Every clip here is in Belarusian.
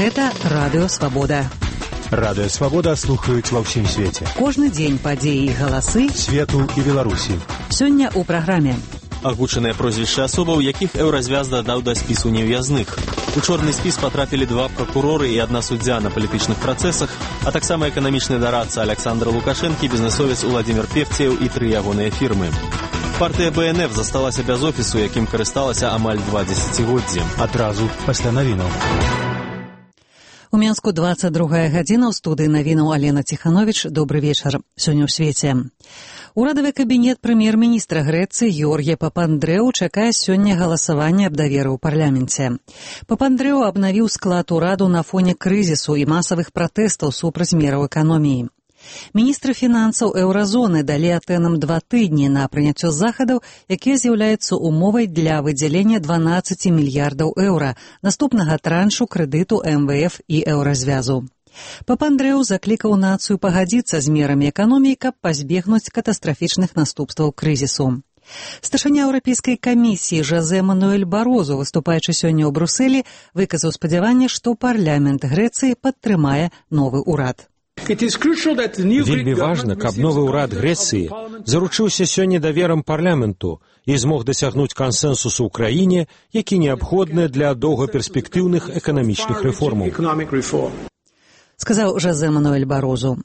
Гэта Радыё Свабода. Радыё Свабода слухаюць ва ўсім свеце. Кожны дзень падзеі і галасы свету і Беларусі. Сёння ў праграме. Агучаныя прозвішчы асобаў, якіх Еўразвяз дадаў да спісу нев'язных. У чорны спіс патрапілі 2 пракуроры і 1 суддзя на палітычных працэсах, а таксама эканамічны дарадца Александр Лукашэнкі, бізнесовец Уладзімір Певцеў і 3 ягоныя фірмы. Партыя БНФ засталася без офісу, якім карысталася амаль 2 дзесяцігоддзі. Адразу пасля навінаў. У Менску 22 гадзіна, ў студыі навінаў Алена Ціхановіч. Добры вечар. Сёння ў свеце. Урадавы кабінет прэм'ер-міністра Грэцыі Георгія Папандрэу чакае сёння галасавання аб даверы ў парламенце. Папандрэу абнавіў склад ураду на фоне крызісу і масавых пратэстаў супраць мераў эканоміі. Міністры фінансаў еўразоны далі Атэнам 2 тыдні на прыняццё захадаў, якія з'яўляюцца умовай для выдзялення 12 мільярдаў еўра наступнага траншу крэдыту МВФ і еўразвязу. Папандрэу заклікаў нацыю пагадзіцца з мерамі эканоміі, каб пазбегнуць катастрафічных наступстваў крызісу. Старшыня Еўрапейскай камісіі Жозе Мануэль Барозу, выступаючы сёння ў Брусэлі, выказаў спадзяванне, што парламент Грэцыі падтрымае новы ўрад. Вельмі важна, каб новы ўрад Грэцыі заручыўся сёння даверам парламенту і змог дасягнуць кансэнсусу ў краіне, які неабходны для доўгаперспектыўных эканамічных рэформаў. Сказаў Жозе Мануэль Барозу.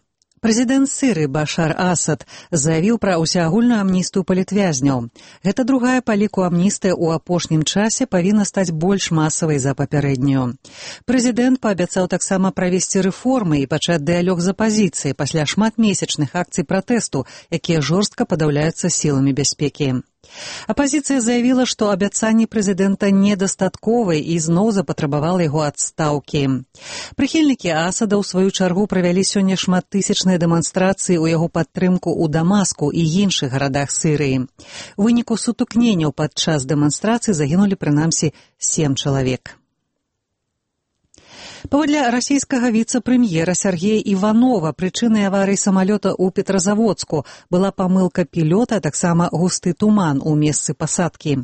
Прэзідэнт Сірыі Башар Асад заявіў пра ўсеагульную амністыю палітвязняў. Гэта другая па ліку амністыя ў апошнім часе павінна стаць больш масавай за папярэднюю. Прэзідэнт паабяцаў таксама правесці рэформы і пачаць дыялог з апазіцыяй пасля шматмесячных акцый пратэсту, якія жорстка падаўляюцца сіламі бяспекі. Апазіцыя заявіла, што абяцанні прэзідэнта недастатковыя і зноў запатрабавала яго адстаўкі. Прыхільнікі Асада ў сваю чаргу правялі сёння шматтысячныя дэманстрацыі ў яго падтрымку ў Дамаску і іншых гарадах Сірыі. У выніку сутыкненняў падчас дэманстрацыі загінулі прынамсі 7 чалавек. Паводле расійскага віцэ-прэм'ера Сергея Іванова, прычынай аварыі самалёта ў Петрозаводску была памылка пілёта, а таксама густы туман у месцы пасадкі.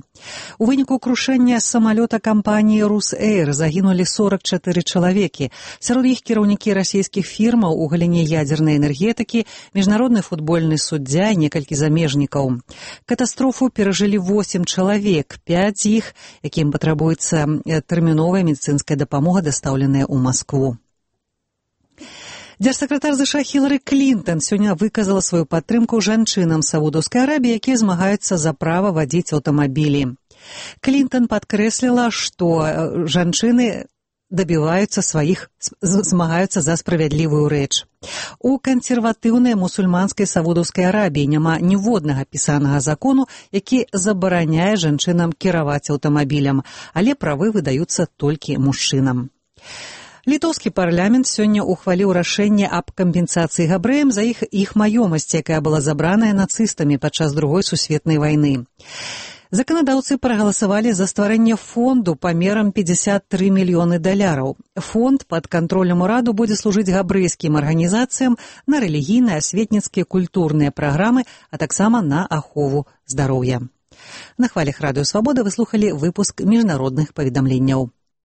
У выніку крушэння самалёта кампаніі «Русэйр» загінулі 44 чалавекі. Сярод іх кіраўнікі расійскіх фірмаў у галіне ядзернай энергетыкі, міжнародны футбольны суддзя і некалькі замежнікаў. Катастрофу перажылі 8 чалавек, 5 з іх, якім патрабуецца тэрміновая медыцынская дапамога, дастаўленая ў Маскву. Дзяржсакратар США Хілары Клінтан сёння выказала сваю падтрымку жанчынам Саудаўскай Арабіі, якія змагаюцца за права вадзіць аўтамабілі. Клінтан падкрэсліла, што жанчыны змагаюцца за справядлівую рэч. У кансерватыўнай мусульманскай Саудаўскай Арабіі няма ніводнага пісанага закону, які забараняе жанчынам кіраваць аўтамабілем, але правы выдаюцца толькі мужчынам. Літоўскі парламент сёння ухваліў рашэнне аб кампенсацыі габрэям за іх маёмасць, якая была забраная нацыстамі падчас Другой сусветнай вайны. Заканадаўцы прагаласавалі за стварэнне фонду памерам $53 мільёны. Фонд пад кантролем ураду будзе служыць габрэйскім арганізацыям на рэлігійныя, асветніцкія, культурныя праграмы, а таксама на ахову здароўя. На хвалях Радыё Свабода вы слухалі выпуск міжнародных паведамленняў.